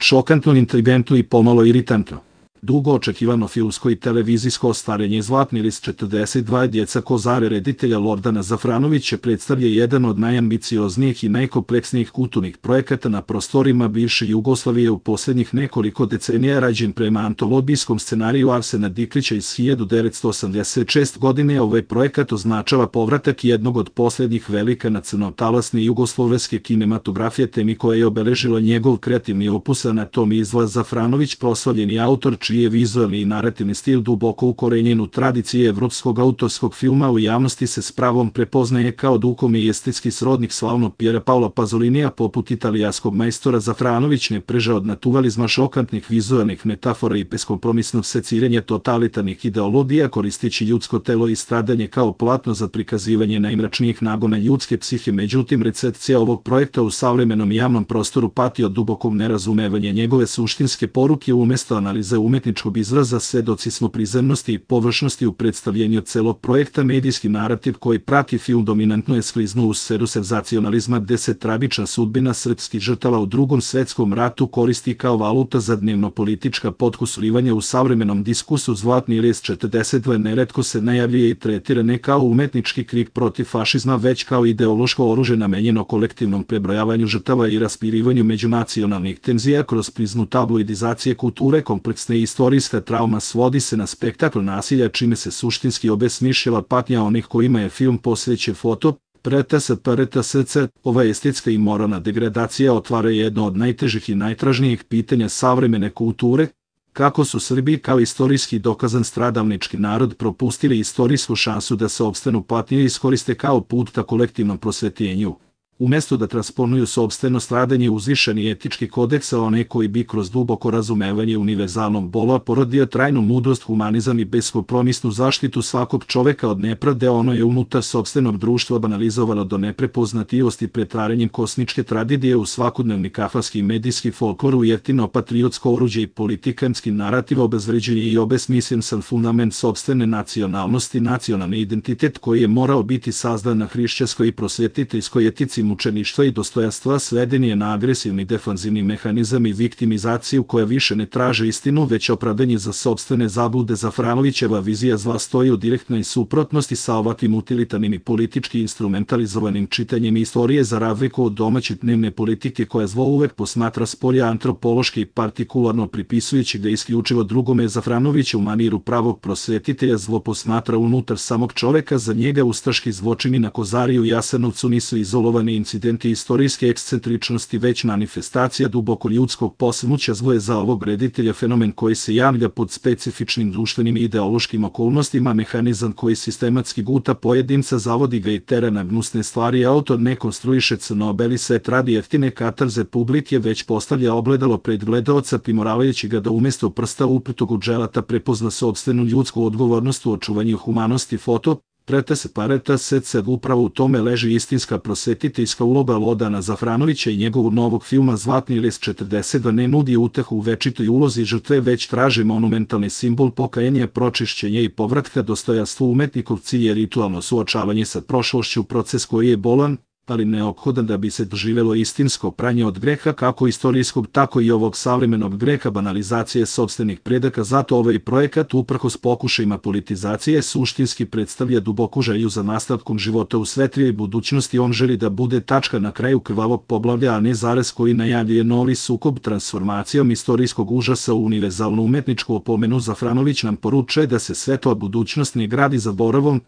Šokantno, inteligentno i pomalo iritantno. Dugo očekivano filmsko i televizijsko ostvarenje Zlatni list 42 djeca Kozare reditelja Lordana Zafranovića predstavlja jedan od najambicioznijih i najkompleksnijih kulturnih projekata na prostorima bivše Jugoslavije u posljednjih nekoliko decenija, rađen prema antologijskom scenariju Arsena Diklića iz 1986 godine. Ovaj projekat označava povratak jednog od posljednjih velika nacionaltalasne jugoslovenske kinematografije, temi koja je obeležila njegov kreativni opus Anatomija zla. Zafranović, proslavljeni autor čiji je vizualni i narativni stil duboko ukorenjen u tradiciji evropskog autorskog filma, u javnosti se s pravom prepoznaje kao duhovni i estetski srodnik slavnog Piera Paola Pazolinija. Poput italijanskog majstora, Zafranović ne preže od naturalizma, šokantnih vizualnih metafora i beskompromisnog seciranja totalitarnih ideologija, koristeći ljudsko telo i stradanje kao platno za prikazivanje najmračnijih nagona ljudske psihe. Međutim, recepcija ovog projekta u savremenom javnom prostoru pati od dubokog nerazumevanja njegove suštinske poruke. Umesto analize umetničkog izraza, svedoci smo prizemnosti i površnosti u predstavljenju celog projekta. Medijski narativ koji prati film dominantno je skliznuo u sferu senzacionalizma, gde se tragična sudbina srpskih žrtava u Drugom svetskom ratu koristi kao valuta za dnevno-politička potkusurivanja. U savremenom diskursu Zlatni list 42 neretko se najavljuje i tretira ne kao umetnički krik protiv fašizma, već kao ideološko oružje namenjeno kolektivnom prebrojavanju žrtava i raspirivanju međunacionalnih tenzija. Kroz prizmu tabloidizacije kulture, kompleksne istorijska trauma svodi se na spektakl nasilja, čime se suštinski obesmišljava patnja onih kojima je film posvećen. PRTS. Ova estetska i moralna degradacija otvara jedno od najtežih i najtražnijih pitanja savremene kulture: kako su Srbi kao istorijski dokazan stradalnički narod propustili istorijsku šansu da se opstanu patnje i iskoriste kao put ka kolektivnom prosvetljenju. Umesto da transponuju sopstveno stradanje uzvišeni etički kodeks, a one koji bi kroz duboko razumevanje univerzalnog bola porodio trajnu mudrost, humanizam i beskompromisnu zaštitu svakog čoveka od nepravde, ono je unutar sopstvenog društva banalizovano do neprepoznatljivosti pretvaranjem kosmičke tragedije u svakodnevni kafanski medijski folklor, u jeftino patriotsko oruđe i politikanski narativ, obezvređuje i obesmislen sam fundament sopstvene nacionalnosti, nacionalni identitet koji je morao biti sazdan na hrišćanskoj i prosvetiteljskoj etici mučeništva i dostojanstva, sveden je na agresivni defanzivni mehanizam i viktimizaciju koja više ne traže istinu, već opravdanje za sopstvene zablude. Zafranovićeva vizija zla stoji u direktnoj suprotnosti sa ovakvim utilitarnim i politički instrumentalizovanim čitanjem istorije, za razliku od domaće dnevne politike koja zlo uvek posmatra s polja antropološki i partikularno pripisujući da isključivo drugome. Zafranović u maniru pravog prosvetitelja zlo posmatra unutar samog čoveka. Za njega ustaški zločini na Kozari i u Jasenovcu nisu izolovani incidenti istorijske ekscentričnosti, već manifestacija duboko ljudskog posrnuća. Zlo je za ovog reditelja fenomen koji se javlja pod specifičnim društvenim i ideološkim okolnostima, mehanizam koji sistematski guta pojedinca, zavodi ga i tera na gnusne stvari. Autor ne konstruiše crno-beli svet radi jeftine katarze publike, već postavlja ogledalo pred gledaoca, primoravajući ga da umesto prsta uputog u dželata prepozna sopstvenu ljudsku odgovornost u očuvanju humanosti. PRTS. Upravo u tome leži istinska prosvetiteljska uloga Lordana Zafranovića i njegovog novog filma Zlatni list 42 ne nudi utehu u večitoj ulozi žrtve, već traži monumentalni simbol pokajanja, pročišćenja i povratka dostojanstvu. Umetnikov cilj je ritualno suočavanje sa prošlošću, proces koji je bolan, ali neophodan da bi se doživelo istinsko pranje od greha, kako istorijskog, tako i ovog savremenog greha banalizacije sopstvenih predaka. Zato ovaj projekat, uprkos pokušajima politizacije, suštinski predstavlja duboku želju za nastavkom života u svetlijoj budućnosti. On želi da bude tačka na kraju krvavog poglavlja, a ne zarez koji najavljuje novi sukob. Transformacijom istorijskog užasa u univerzalnu umetničku opomenu Zafranović nam poručuje da se svetla budućnost ne gradi zaboravom,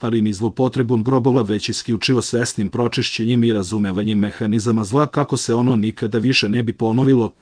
ali ni zlopotrebom grobova, već isključivo svesnim pročišćenjem i razumevanjem mehanizama zla, kako se ono nikada više ne bi ponovilo.